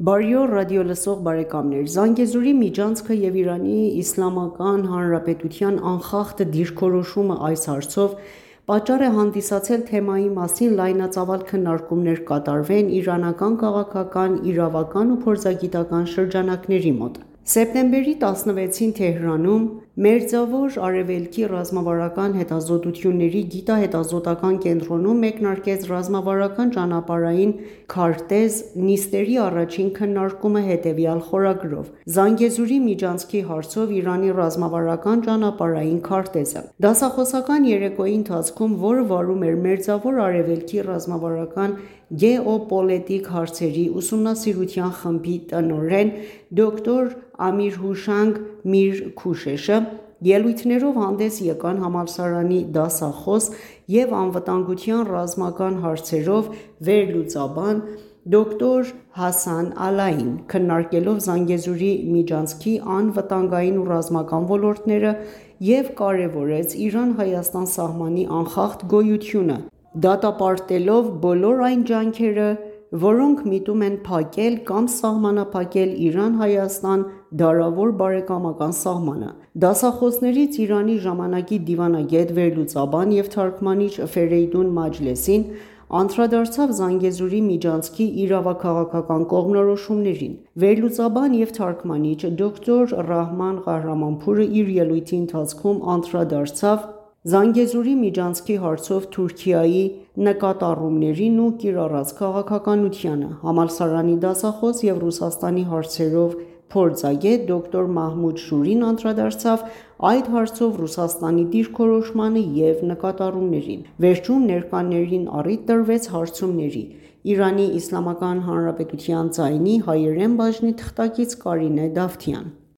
Բարի օր ռադիոլսող բարեկամներ, Զանգեզուրի միջանցքը և Իրանի Իսլամական Հանրապետության անխախտ դիրքորոշումը այս հարցով պատճառ է հանդիսացել թեմայի մասին լայնածավալ քննարկումներ կատարվեն իրանական քաղաքական, իրավական ու փորձագիտական շրջանակների մոտ: Սեպտեմբերի 16-ին Թեհրանում Մերձավոր Արևելքի ռազմավարական հետազոտությունների գիտահետազոտական կենտրոնում մեկնարկեց ռազմավարական ճանապարհային քարտեզ նիստերի առաջին քննարկումը հետևյալ խորագրով՝ «Զանգեզուրի միջանցքի հարցով Իրանի ռազմավարական ճանապարհային քարտեզը»: Դասախոսական երեկոյի ընթացքում, որը վարում էր Մերձավոր Արևելքի ռազմավարական գեոպոլիտիկ հարցերի ուսումնասիրության խմբի տնօրեն դոկտոր Ամիրհուշանգ Միր-Քուշեշը, ելույթներով հանդես եկան համալսարանի դասախոս և անվտանգության ռազմական հարցերով վերլուծաբան դոկտոր Հասան Ալային, քննարկելով Զանգեզուրի միջանցքի անվտանգային ու ռազմական ոլորտները և կարևորեց Իրան-Հայաստան սահմանի անխախտ գոյությունը, դատապարտելով բոլոր այն ջանքերը, որոնք միտում են փակել կամ սահմանափակել Իրան-Հայաստան դարավոր բարեկամական սահմանը: Դասախոսներից Իրանի ժամանակի դիվանագետ, վերլուծաբան և թարգմանիչ Ֆերեյդուն Մաջլեսին անդրադարձավ Զանգեզուրի միջանցքի իրավաքաղաքական կողմնորոշումներին: Վերլուծաբան և թարգմանիչ դոկտոր Ռահման Ղահրամանփուրը իր ելույթի ընթացքում անդրադարձավ Զանգեզուրի միջանցքի հարցով Թուրքիայի նկատառումներին ու կիրառած քաղաքականությանը: Համալսարանի դասախոս և Ռուսաստանի հարցերով փորձագետ դոկտոր Մահմուդ Շուրին անդրադարձավ այդ հարցով Ռուսաստանի դիրքորոշմանը և նկատառումներին: Վերջում ներկաներին առիթ տրվեց հարցումների: Իրանի Իսլամական Հանրապետության ձայնի հայերեն բաժնի թղթակից Կարինե Դավթյան: